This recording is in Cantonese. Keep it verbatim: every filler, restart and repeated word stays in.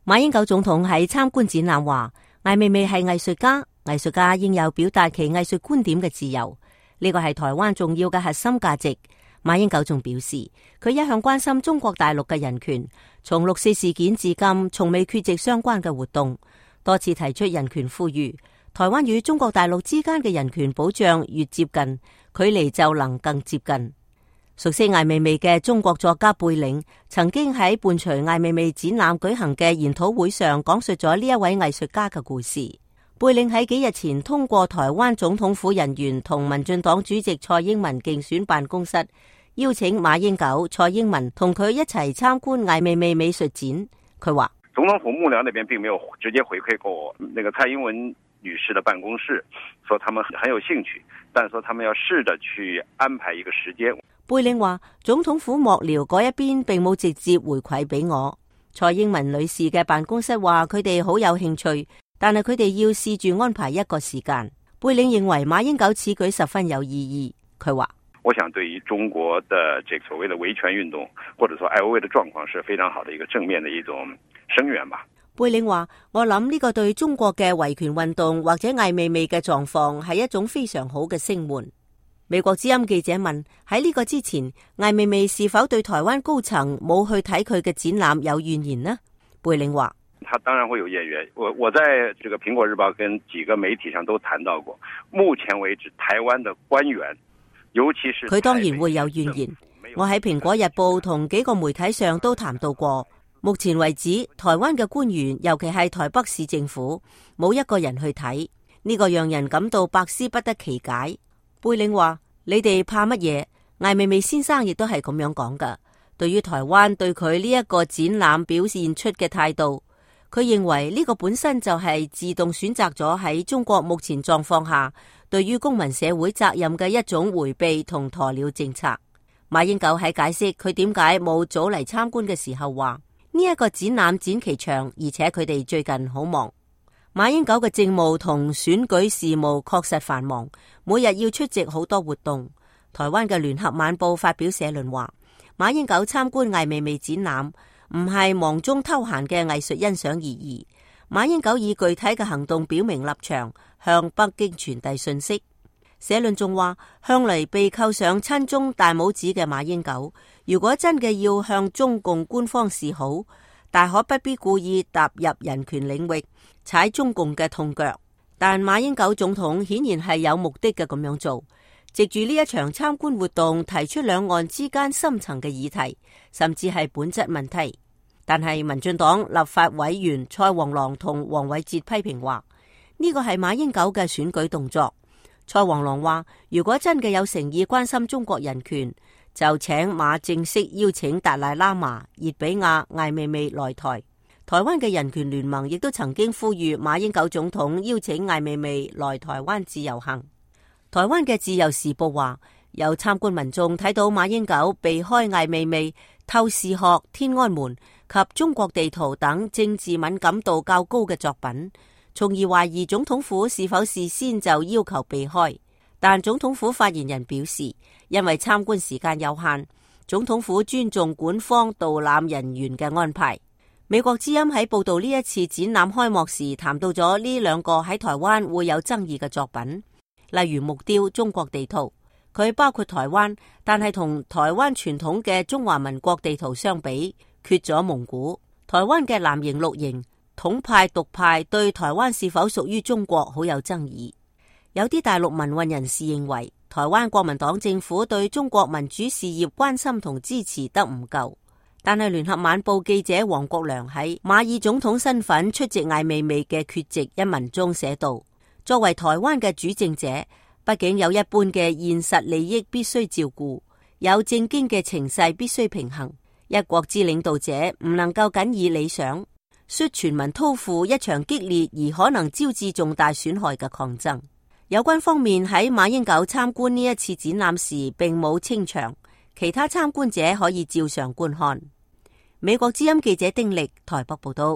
馬英九總統喺參觀展覽話，艾未未係藝術家，藝術家應有表達其藝術觀點嘅自由，呢個係台灣重要嘅核心價值。馬英九仲表示，佢一向關心中國大陸嘅人權，從六四事件至今，從未缺席相關嘅活動，多次提出人權呼籲。台灣與中國大陸之間嘅人權保障越接近，距離就能更接近。熟悉艾未未嘅中國作家貝嶺曾經喺伴隨艾未未展覽舉行嘅研討會上講述咗呢一位藝術家嘅故事。貝嶺喺幾日前通過台灣總統府人員同民進黨主席蔡英文競選辦公室邀請馬英九、蔡英文同佢一齊參觀艾未未美術展。佢話總統府幕僚那邊並沒有直接回饋過那個蔡英文女士的辦公室，說他們很有興趣，但說他們要試着去安排一個時間。貝嶺話總統府幕僚嗰一邊並冇直接回饋俾我。蔡英文女士嘅辦公室話佢哋好有興趣，但係佢哋要試住安排一個時間。貝嶺認為馬英九此舉十分有意義。佢話我想對於中國的這所謂的維權運動，或者說艾未未的狀況是非常好的一個正面的一種聲援吧。貝嶺話我諗呢個對中國嘅維權運動或者艾未未嘅狀況係一種非常好嘅聲援。美國之音記者問，喺呢個之前，艾未未是否對台灣高層冇去睇佢嘅展覽有怨言呢？貝嶺話他當然會有怨言，我我在這個蘋果日報跟幾個媒體上都談到過，目前為止台灣的官員尤其是佢當然會有怨言，我喺蘋果日報同幾個媒體上都談到過。目前為止，台灣嘅官員，尤其係台北市政府，冇一個人去睇，呢個讓人感到百思不得其解。貝嶺話：你哋怕乜嘢？艾未未先生亦都係咁樣講噶。對於台灣對佢呢一個展覽表現出嘅態度，佢認為呢個本身就係自動選擇咗喺中國目前狀況下對於公民社會責任嘅一種回避同鴕鳥政策。馬英九喺解釋佢點解冇早嚟參觀嘅時候話：呢一個展覽展期長，而且佢哋最近好忙。馬英九嘅政務同選舉事務確實繁忙，每日要出席好多活動。台灣嘅聯合晚報發表社論話：馬英九參觀艾未未展覽唔係忙中偷閒嘅藝術欣賞而已。馬英九以具體嘅行動表明立場，向北京傳遞信息。社論仲話，向嚟被扣上親中大帽子嘅馬英九，如果真嘅要向中共官方示好，大可不必故意踏入人權領域，踩中共嘅痛腳。但馬英九總統顯然係有目的嘅咁樣做，藉住呢一場參觀活動提出兩岸之間深層嘅議題，甚至係本質問題。但係民進黨立法委員蔡黃郎同黃偉哲批評話，呢個係馬英九嘅選舉動作。蔡黃郎話，如果真嘅有誠意關心中國人權，就請馬正式邀請達賴喇嘛、熱比亞、艾未未來台。台灣嘅人權聯盟亦都曾經呼籲馬英九總統邀請艾未未來台灣自由行。台灣嘅自由時報話，有參觀民眾睇到馬英九避開艾未未、透視學、天安門及中國地圖等政治敏感度較高嘅作品，從而懷疑總統府是否事先就要求避開。但總統府發言人表示，因為參觀時間有限，總統府尊重館方導覽人員嘅安排。美國之音喺報道呢一次展覽開幕時談到咗呢兩個喺台灣會有爭議嘅作品，例如木雕中國地圖，佢包括台灣，但係同台灣傳統嘅中華民國地圖相比，缺咗蒙古。台灣嘅藍營綠營統派獨派對台灣是否屬於中國好有爭議。有啲大陸民運人士認為，台灣國民黨政府對中國民主事業關心同支持得唔夠。但係聯合晚報記者黃國良喺馬爾總統身份出席艾未未嘅缺席一文中寫道，作為台灣嘅主政者，畢竟有一般嘅現實利益必須照顧，有正經嘅情勢必須平衡。一國之領導者唔能夠僅以理想，率全民掏負一場激烈而可能招致重大損害嘅抗爭。有關方面喺馬英九參觀呢一次展覽時並冇清場，其他參觀者可以照常觀看。美國之音記者丁力台北報道。